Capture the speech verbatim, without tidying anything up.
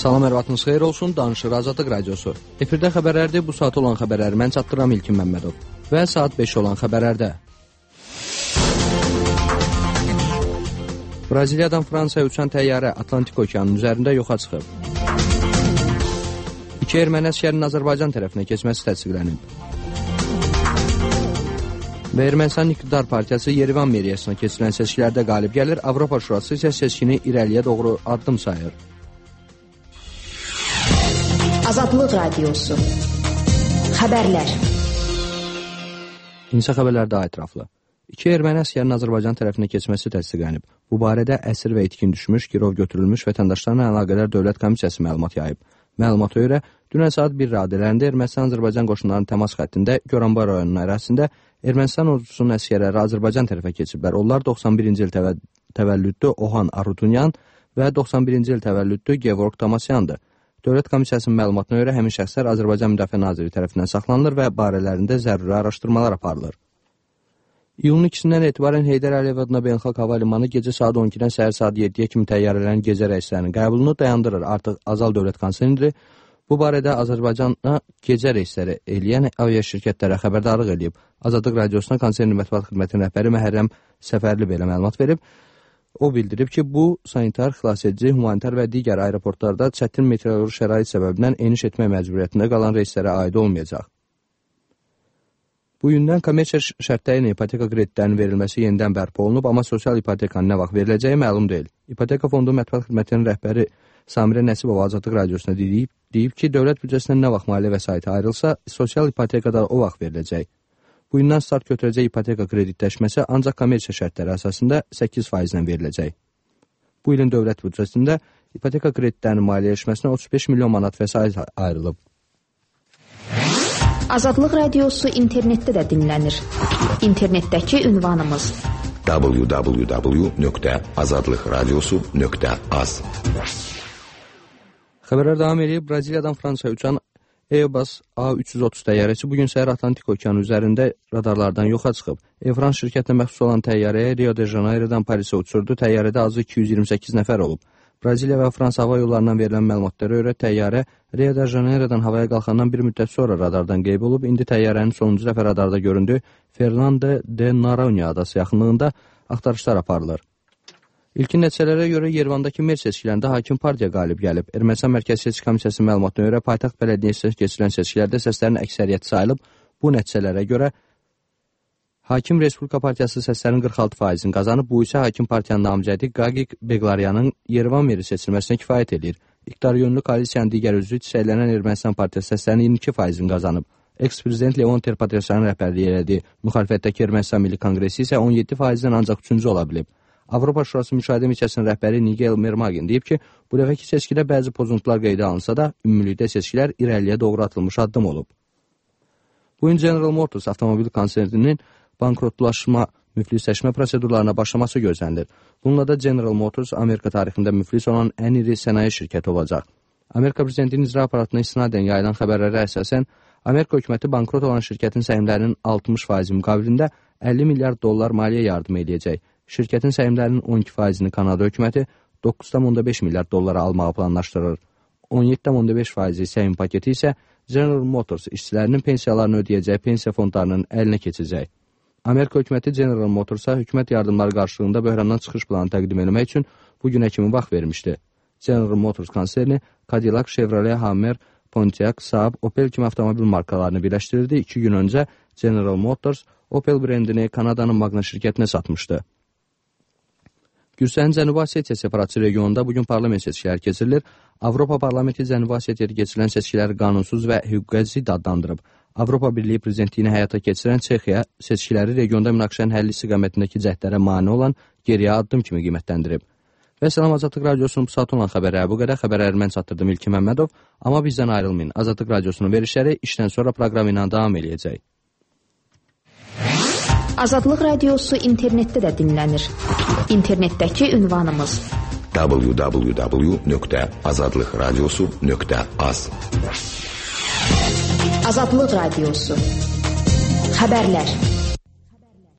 Salam, hər vaxtınız xeyir olsun, danışır Azadlıq Radiosu. Efirdə xəbərlərdir, bu saat olan xəbərləri mən çatdıram İlkin Məmmədov. Və saat beş olan xəbərlərdə. Braziliyadan Fransaya uçan təyyarə Atlantik okeanının üzərində yoxa çıxıb. İki erməni əsgərinin Azərbaycan tərəfinə keçməsi təsdiqlənib. Və Ermənistan İqtidar Partiyası Yerivan meriyasına keçirilən seçkilərdə qalib gəlir, Avropa Şurası isə seçkini irəliyə doğru addım sayır. Azadlıq Radiosu. Xəbərlər. İnsa xəbərlərdə ətraflı. İki erməni əsgərinin Azərbaycan tərəfinə keçməsi təsdiqlənib. Bu barədə əsir və itkin düşmüş, girov götürülmüş vətəndaşlarla əlaqədar Dövlət Komissiyası məlumat yayıb. Məlumata görə, dünən saat bir radələrində Ermənistan-Azərbaycan qoşunlarının təmas xəttində Goranboy rayonunun ərazisində Ermənistan ordusunun əsgərləri Azərbaycan tərəfə keçiblər. Onlar doxsan birinci il təvə təvəllüdlü Ohan Arutunyan və doxsan birinci il təvəllüdlü Gevorg Tamasyandır. Dövlət Komissiyasının məlumatına görə həmin şəxslər Azərbaycan Müdafiə Naziri tərəfindən saxlanılır və barələrində zəruri araşdırmalar aparılır. İyulun ikisindən etibarən Heydər Əliyev adına Beynəlxalq Hava Limanı gecə saat on ikidən səhər saat yeddiyə kimi təyyarələrin gecə reyslərinin qəbulunu dayandırır. Artıq Azal Dövlət Konserni bu barədə Azərbaycana gecə reysləri eləyən avia şirkətlərə xəbərdarlıq edib. Azadlıq Radiosuna konserni mətbuat xidmətinin rəhbəri Məhərrəm Səfərli belə məlumat verib. O bildirib ki, bu sanitar, xilasedici, humanitar və digər aeroportlarda çətin meteoroloji şərait səbəbindən eniş etmək məcburiyyətində qalan reyslərə aid olmayacaq. Bu gündən kommersiya şərtləri ilə ipoteka kreditlərinin verilməsi yenidən bərpa olunub, amma sosial ipotekanın nə vaxt veriləcəyi məlum deyil. İpoteka fondu mətbuat xidmətinin rəhbəri Samirə Nəsibova Azadlıq Radiosuna deyib, deyib ki, dövlət büdcəsindən nə vaxt maliyyə vəsaiti ayrılsa, sosial ipotekada o vaxt veriləcək. Bu gündən start götürəcək ipoteka kreditləşməsi ancaq kommersiya şərtləri əsasında səkkiz faizlə veriləcək. Bu ilin dövlət büdcəsində ipoteka kreditlərinin maliyyələşməsinə otuz beş milyon manat vəsait ayrılıb. Azadlıq Radiosu internetdə də dinlənir. İnternetdəki ünvanımız w w w nöqtə azadlıq radiosu nöqtə az. Xəbərlər davam edib. Braziliyadan Fransaya uçan Airbus A üç yüz otuz təyyarəsi bugün səhər Atlantik okeanı üzərində radarlardan yoxa çıxıb. Air France şirkətinə məxsus olan təyyarəyə Rio de Janeiro'dan Parisə uçurdu. Təyyarədə azı iki yüz iyirmi səkkiz nəfər olub. Braziliya və Fransa hava yollarından verilən məlumatlara görə təyyarə Rio de Janeiro'dan havaya qalxandan bir müddət sonra radardan qeyb olub. İndi təyyarənin sonuncu dəfə radarda göründüyü Fernando de Noronha adası yaxınlığında axtarışlar aparılır. İlkin nəticələrə görə Yerevandakı mer seçkilərində hakim partiya qalib gəlib. Ermənistan Mərkəzi Seçki Komissiyasının məlumatına görə paytaxt bələdiyyəsinə keçirilən seçkilərdə səslərin əksəriyyəti sayılıb. Bu nəticələrə görə Hakim Respublika Partiyası səslərin qırx altı faizini qazanıb. Bu isə hakim partiyanın namizədi Qaqik Beqlaryanın Yerevan meri seçilməsinə kifayət edir. İqtidar yönlü koalisiyanın digər üzvü çiçəklənən Ermənistan Partiyası səslərinin iyirmi iki faizini qazanıb. Eks-prezident Leon Terpatrosyanın rəhbərliyi elədiyi müxalifətdəki Ermənistan Milli Konqresi isə on yeddi faizdən ancaq üçüncü ola bilib. Avropa Şurası Müşahidə Missiyasının rəhbəri Nigel Mermagin deyib ki, bu dəfəki seçkidə bəzi pozuntular qeydə alınsa da, ümumilikdə seçkilər irəliyə doğru atılmış addım olub. Bu gün General Motors avtomobil konserninin bankrotlaşma, müflisləşmə prosedurlarına başlaması gözlənilir. Bununla da General Motors Amerika tarixində müflis olan ən iri sənaye şirkəti olacaq. Amerika prezidentinin icra aparatına istinadən yayılan xəbərlərə əsasən, Amerika hökuməti bankrot olan şirkətin səhmlərinin altmış faizi müqabilində əlli milyard dollar maliyyə yardım edəcək. Şirkətin səhmlərinin on iki faizini Kanada hökuməti doqquz tam onda beş milyard dollara almağı planlaşdırır. on yeddi tam onda beş faizi səhim paketi isə General Motors işçilərinin pensiyalarını ödəyəcək pensiya fondlarının əlinə keçəcək. Amerika hökuməti General Motorsa hökumət yardımları qarşılığında böhrandan çıxış planı təqdim etmək üçün bu günə kimi vaxt vermişdi. General Motors konserni Cadillac, Chevrolet, Hummer, Pontiac, Saab, Opel kimi avtomobil markalarını birləşdirirdi. İki gün öncə General Motors Opel brendini Kanadanın Magna şirkətinə satmışdı. Gürcüstanın Cənubi Osetiya separatçı regionunda bugün parlament seçkiləri keçirilir. Avropa Parlamenti Cənubi Osetiyada keçirilən seçkiləri qanunsuz və hüquqa zidd adlandırıb. Avropa Birliyi prezidentliyini həyata keçirən Çexiya seçkiləri regionda münaqişənin həlli istiqamətindəki cəhdlərə mane olan geriyə addım kimi qiymətləndirib. Və Salam Azadlıq Radiosunun bu saat olan xəbərləri bu qədər. Xəbərləri mən çatdırdım İlkin Məmmədov. Amma bizdən ayrılmayın. Azadlıq Radiosunun verişləri işdən sonra proqram ilə davam edəcək. Azadlıq Radiosu internetdə də dinlənir. İnternetdəki ünvanımız w w w nöqtə azadlıq radiosu nöqtə az. Azadlıq Radiosu. Xəbərlər.